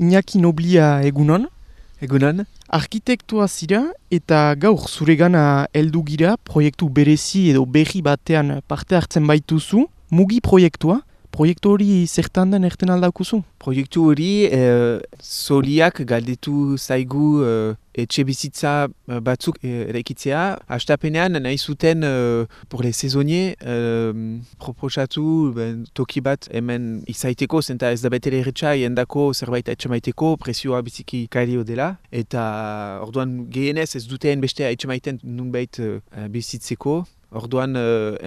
Iñaki Noblia egunon. Egunon. Arkitektua zira eta gaur zuregana heldu gira proiektu berezi edo berri batean parte hartzen baituzu. Mugi proiektua. Proiektu hori zertan den erten aldaukuzu? Proiektu hori zoriak galdetu zaigu etxe bizitza batzuk eraikitzea. Hastapenean nahi zuten pour les saisonniers proposatu toki bat hemen izaiteko, zenta ez da betere erretxa jendako zerbait etxemaiteko, presioa biziki kario dela. Eta orduan gehienez ez duten beste etxemaiten nunbait bizitzeko. Orduan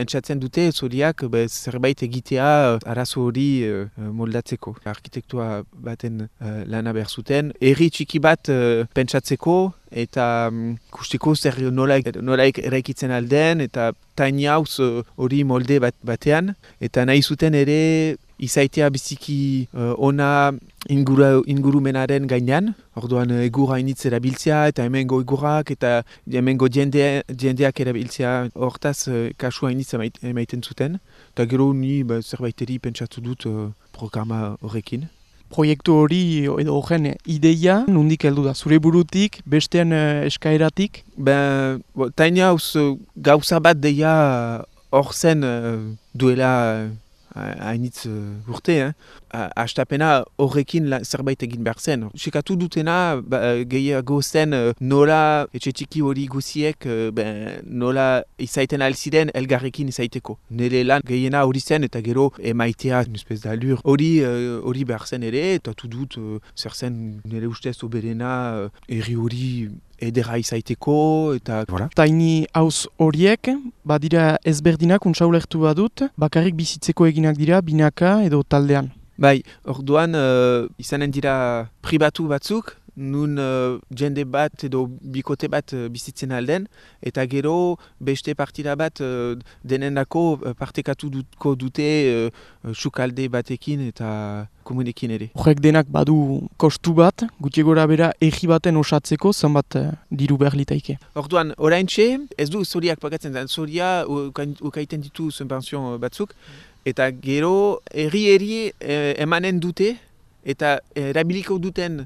entzatzen dute zoriak zerbait egitea arazo hori moldatzeko. Arkitektua baten lana behar zuten. Herri txiki bat pentsatzeko eta ikusteko zer nola eraikitzen alden eta tiny house hori molde batean. Eta nahi zuten ere izaitea biziki ona ingurumenaren gainean. Orduan egurra initz erabiltzea eta hemengo egurrak eta hemengo jendeak erabiltzea. Hortaz kasua initz emaiten zuten. Eta gero ni zerbaiteri pentsatu dut programa horrekin. Proiektu hori edo horren ideia nondik heldu da? Zure burutik, besteen eskaeratik? Tiny house gauza bat deia hor zen duela hainitz urte. Hastapena horrekin zerbait egin behar zen. Sekatu dutena gehiago zen nola etxe txiki hori guziek nola izaiten alziren elgarrekin izaiteko. Nire lan gehiena hori zen eta gero emaitea nuspez da lur. Hori behar zen ere eta dut zer zen nire ustez oberena herri hori edera izaiteko eta voilà. Tiny house horiek badira ezberdinak untxaulertu badut, bakarrik bizitzeko eginak dira binaka edo taldean. Bai, orduan izanen dira pribatu batzuk, nun jende bat edo bikote bat bizitzen alden, eta gero beste partida bat denendako partekatuko dute sukalde batekin eta komunekin ere. Horrek denak badu kostu bat, gutxi gora bera egi baten osatzeko zenbat diru behar litaike. Orduan, oraintxe, ez du zoriak pagatzen zen, zoria ukaiten ditu subvenzion batzuk, eta gero herri emanen dute eta erabiliko duten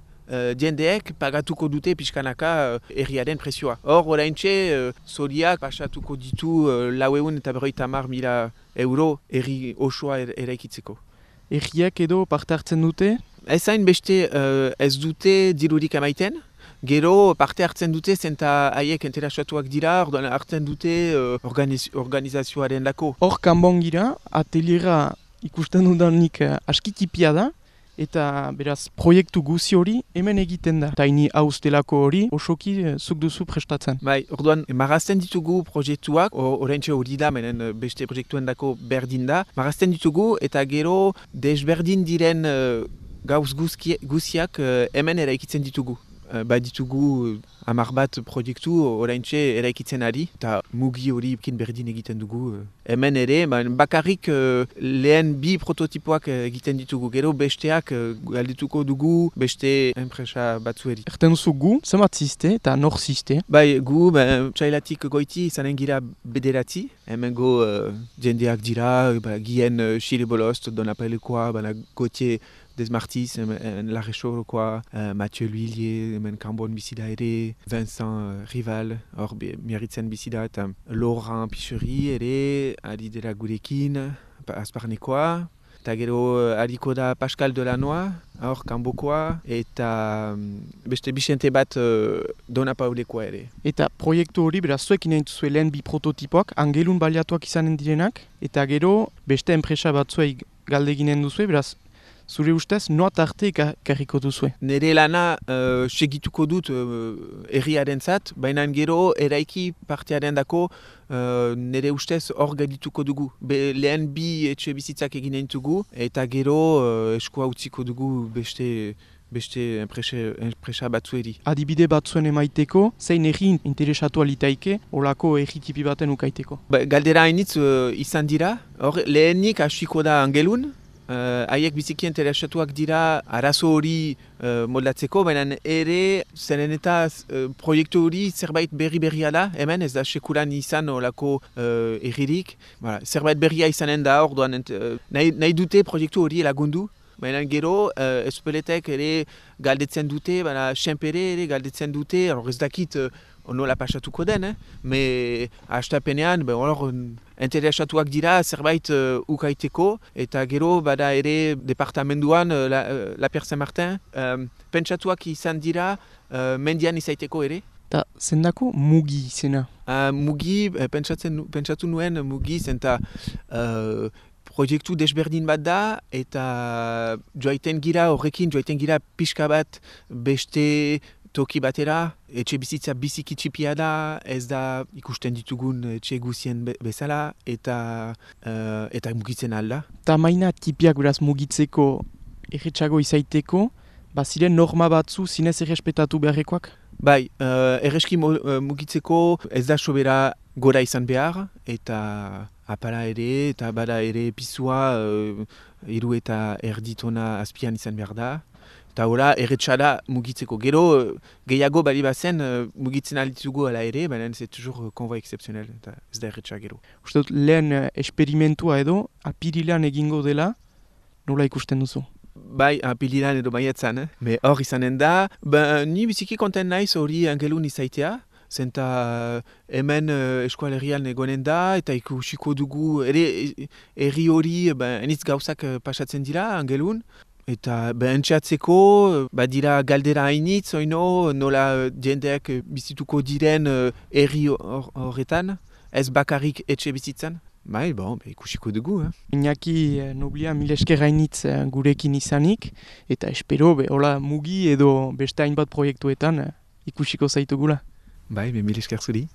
jendeek pagatuko dute pixkanaka herriaren presioa. Hor, oraintxe, zoriak pasatuko ditu 450.000 euro herri osoa eraikitzeko. Herriak edo parte hartzen dute? Ezain beste ez dute dirurik emaiten. Gero parte hartzen dute zenta haiek interesatuak dira, orduan hartzen dute organizazioaren lako. Hor kanbon gira, ateliera ikusten dudanik askitipia da, eta beraz proiektu guzi hori hemen egiten da. Tiny house delako hori osoki zuk duzu prestatzen. Bai, orduan marrazten ditugu proiektuak, oraintxe hori da, menen beste proiektuen dako berdin da. Marrazten ditugu eta gero desberdin diren gauz guziak hemen eraikitzen ditugu. Ditugu 10 bat proiektu oraintxe eraikitzen ari, eta mugi hori berdin egiten dugu. Hemen ere, bakarrik lehen 2 prototipoak egiten ditugu, gero besteak galdetuko dugu beste enpresa batzueri. Erten duzu gu, zenbat ziste eta nor ziste? Gu, txailatik goiti izanen gira 9, hemengo jendeak dira, gien Xile Bolost, Donapelekoa, Gautier Desmartis, Larrexorokoa, Mathieu L'Huillier, hemen Kanbon bizida ere, Vincent Rival, hor miarritzen bizida, eta Laurent Picheri ere, ari dela gurekin, Azparnekoa, eta gero ariko da Pascal Delanoa, hor Kanbokoa, eta beste Bixente bat Donapaulekoa ere. Eta proiektu hori, beraz, zuekin nahi duzue lehen 2 prototipoak, angelun baliatuak izanen direnak, eta gero beste enpresa batzuei galdeginen duzue, beraz, zure ustez, noa tarte karriko duzue? Nere lana segituko dut herriaren zat, baina gero eraiki partearen dako nere ustez hor gaidituko dugu. Lehen 2 etxe bizitzak eginen dugu, eta gero eskua utziko dugu beste enpresa batzueri. Adibide batzuen emaiteko, zein herri interesatu alitaike, olako herri tipi baten ukaiteko? Galdera hainitz izan dira, hor lehenik hasiko da angelun, haiek biziki interesatuak dira arazo hori moldatzeko, baina ere zenen eta proiektu hori zerbait berria da, hemen ez da sekulan izan olako erririk. Zerbait berria izanen da, orduan nahi dute proiektu hori lagundu, baina gero Espeletek ere galdetzen dute, baina Senpere ere galdetzen dute, ez dakit nola pasatuko den, me hastapenean, interesatuak dira zerbait ukaiteko, eta gero bada ere departamenduan La Pierre Saint-Martin, pentsatuak izan dira mendian izaiteko ere. Ta zendako mugi izena? Mugi, pentsatu nuen mugi zenta proiektu desberdin bat da, eta joaiten gira pixka bat beste toki batera, etxe bizitza biziki txipia da, ez da ikusten ditugun etxe guzien bezala, eta mugitzen alda. Ta maina tipiak beraz mugitzeko erretxago izaiteko, baziren norma batzu zinez errespetatu beharrekoak? Bai, erreski mugitzeko ez da sobera gora izan behar, eta apala ere, eta bada ere pisua 3 eta erditona azpian izan behar da. Eta hori erretxada mugitzeko. Gero gehiago bali bazen mugitzen alditugu ala ere, baina ez tujur konvoi excepzionel, eta ez da erretxa gero. Uste dut lehen esperimentua edo apirilan egingo dela, nola ikusten duzu? Bai, apiliran edo baietzan, hor izanen da. Ni biziki konten naiz hori Angelun izaitea, zenta hemen eskualerian egonen da, eta ikusiko dugu, ere herri hori enitz gauzak pasatzen dira Angelun, eta entxatzeko, dira galdera hainitz, oino, nola jendeak bizituko diren herri horretan, ez bakarrik etxe bizitzan. Bai, ikusiko dugu. Iñaki Noblia mil esker hainitz gurekin izanik, eta espero hola mugi edo beste hainbat proiektuetan ikusiko zaitugula. Bai, mil esker zuri.